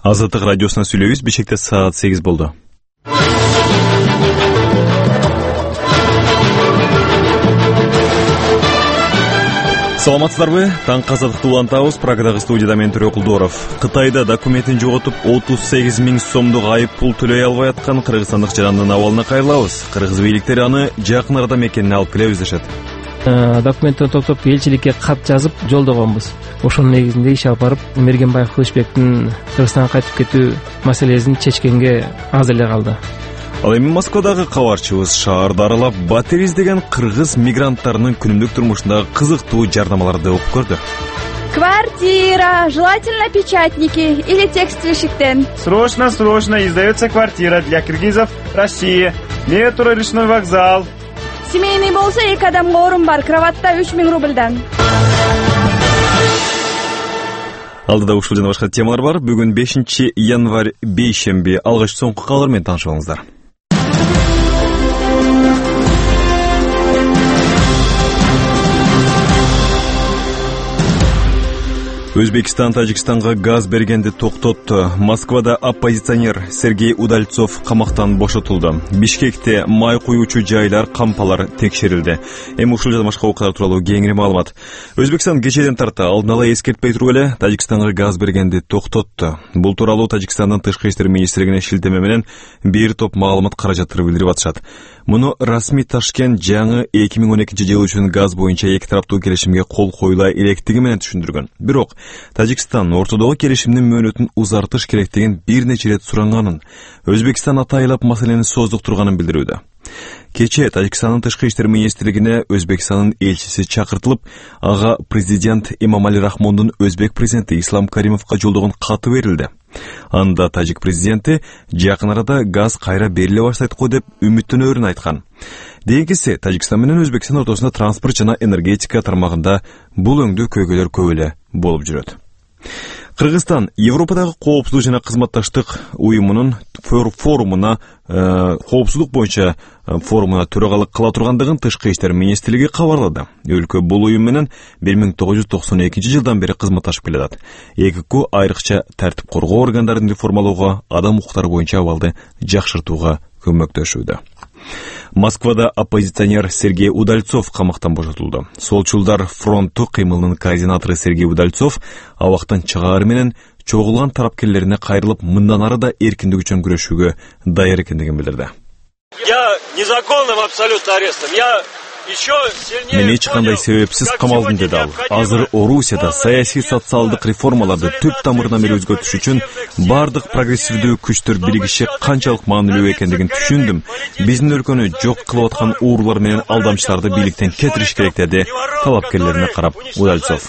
Азаттык радиосуна сүйлөйбүз. Бишкекте саат 8 болду. Саламатсыздарбы? Таңкы Азаттыкты улантабыз. Прагадагы студияда мен Төрө Кулдоров. Кытайда документин жоготуп 38 000 сомдук айып пул төлөй албай аткан кыргызстандык жарандын абалына кайрылабыз. Кыргыз бийликтери аны жакын арада мекенине алып келебиз дешет. Документти топтоп элчиликке кат жазып жолдогонбуз. Ошонун негизинде иш алып барып Мергенбаев Кылычбектин Кыргызстанга кайтып кетүү маселесин чечкенге азыр эле калды. Ал эми Москвадагы кабарчыбыз шаарды аралап батир издеген кыргыз мигранттарынын күнүмдүк турмушундагы кызыктуу жардамаларды окуп көрдү. Квартира, желательно печатники или текстильщиктен. Срочно издается квартира для киргизов России. Метро, речной вокзал. Семейный болсо 2 адамга орун бар, кроватта 3000 рубльдан. Алдыда ушул жана башка темалар бар. Бүгүн 5 январь бейшемби. Алгач соңку кабар менен таанышып алыңыздар. Өзбекстан Тажикстанга газ бергенди токтотту. Москвада оппозиционер Сергей Удальцов камактан бошотулду. Бишкекте май куюучу жайлар, кампалар текшерилди. Эми ушул жана башка окуялар тууралуу кеңири маалымат. Өзбекстан кечеден тарта алдын ала эскертпей туруп эле Тажикстанга газ бергенди токтотту. Бул тууралуу Тажикстандын тышкы иштер министрлигине шилтеме менен бир топ маалымат каражаттары билдирип атышат. Муну расмий Ташкент жаңы 2012 жыл үчүн газ боюнча эки тараптуу келишимге кол коюла электиги менен түшүндүргөн. Бирок Тажикстан ортодогу келишимдин мөөнөтүн узартыш керектигин бир нече ирет суранганын, Өзбекстан атайлап маселени создуктурганын билдирүүдө. Кече Тажикстандын тышкы иштер министрлигине Өзбекстандын элчиси чакыртылып, ага президент Эмомали Рахмондун өзбек президенти Ислам Каримовго жолдогон каты берилди. Анда тажик президенти жакын арада газ кайра бериле баштайт го деп үмүттөнөрүн айткан. Дегенкиси Тажикстан менен Өзбекстан ортосунда транспорт жана энергетика тармагында бул өңдүү көйгөйлөр көп эле болуп жүрөт. Кыргызстан Европадагы коопсуздук жана кызматташтык уюмунун форумуна коопсуздук боюнча форумуна төрагалык кыла тургандыгын тышкы иштер министрлиги кабарлады. Өлкө бул уюм менен 1992 жылдан бери кызматташып келатат. ЭКК айрыкча тартип коргоо органдарын реформалоого, адам укуктары боюнча абалды жакшыртууга көмөктөшүүдө. Москвада оппозиционер Сергей Удальцов камактан бошотулду. Солчулдар фронту кыймылынын координатору Сергей Удальцов абактан чыгаар менен чогулган тарапкерлерине кайрылып, мындан ары да эркиндик үчүн күрөшүүгө даяр экендигин билдирди. Я незаконным абсолютно арестом. Мен эч кандай себепсиз камалдым, деди ал. Азыр Орусияда саясий социалдык реформаларды түп тамырынан бери өзгөртүш үчүн бардык прогрессивдүү күчтөр биригиши канчалык маанилүү экендигин түшүндүм. Биздин өлкөнү жок кылып аткан уурулар менен алдамчыларды бийликтен кетириш керек, деди талапкерлерине карап Удальцов.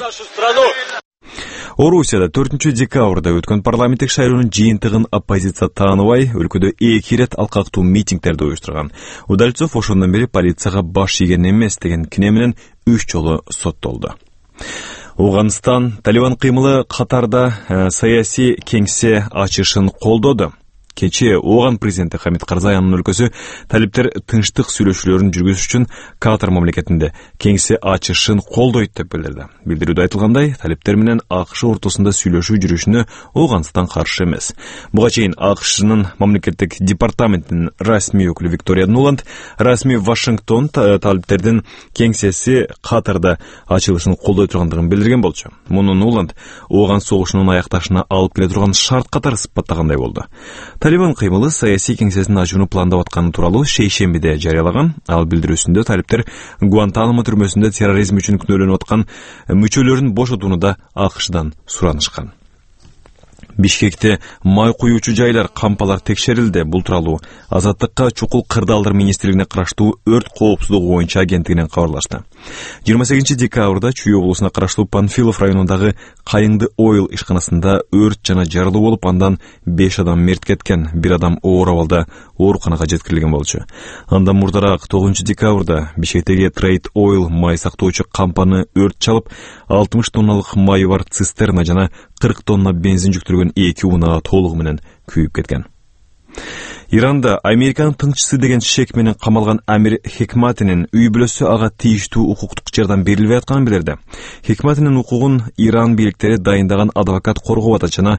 Орусияда 4 декабрда өткөн парламенттик шайлоонун жыйынтыгын оппозиция тааныбай, өлкөдө 2 ирет алкактуу митингдерди уюштурган. Удальцов ошондон бери полицияга баш ийген эмес деген кине менен 3 жолу соттолду. Ауганстан Талибан кыймылы катарда саясий кеңсе ачышын колдоду. Кече Ооган президенти Хамид Карзайянын өлкөсү талиптер тынчтык сүйлөшүүлөрүн жүргүзүш үчүн Катар мамлекетинде кеңсе ачышын колдойт деп билдирди. Билдирүүдө айтылгандай, талиптер менен АКШ ортосунда сүйлөшүү жүрүшүнө Ооган каршы эмес. Буга чейин АКШнын мамлекеттик департаментинин расмий өкүлү Виктория Нуланд расмий Вашингтон талиптердин кеңсеси Катарда ачылышын колдой тургандыгын билдирген болчу. Муну Нуланд Ооган согушунун аякташына алып келе турган шарт катары сыпаттагандай болду. Талибан кыймылы саясий кеңсесин ачууну пландап атканы тууралуу шейшембиде жарыялаган. Ал билдирүүсүндө талиптер Гуантанамо түрмөсүндө терроризм үчүн күнөөлөнүп аткан мүчөлөрүн бошотууну да АКШдан суранышкан. Бишкекте май куюучу жайлар, кампалар текшерилди. Бул тууралуу Азаттыкка чукул кырдаалдар министрлигине караштуу өрт коопсуздугу боюнча агенттигинен кабарлашты. 28 декабрда Чүй облусуна караштуу Панфилов районундагы Кайыңды Ойл ишканасында өрт жана жарылуу болуп, андан 5 адам мерт кеткен, 1 адам оор абалда ооруканага жеткирилген болчу. Андан мурдараак 9 декабрда Бишкектеги Trade Oil май сактоочу кампаны өрт чалып, 60 тонналык майы бар цистерна жана 40 тонна бензин жүктүргөн 2 унаа толугу менен күйүп кеткен. Иранда Американын тыңчысы деген шек менен камалган Амир Хекматинин үй бүлөсү ага тийиштүү укуктук жардам берилбей атканын билдирди. Хекматинин укугун Иран бийликтери дайындаган адвокат коргоп атат жана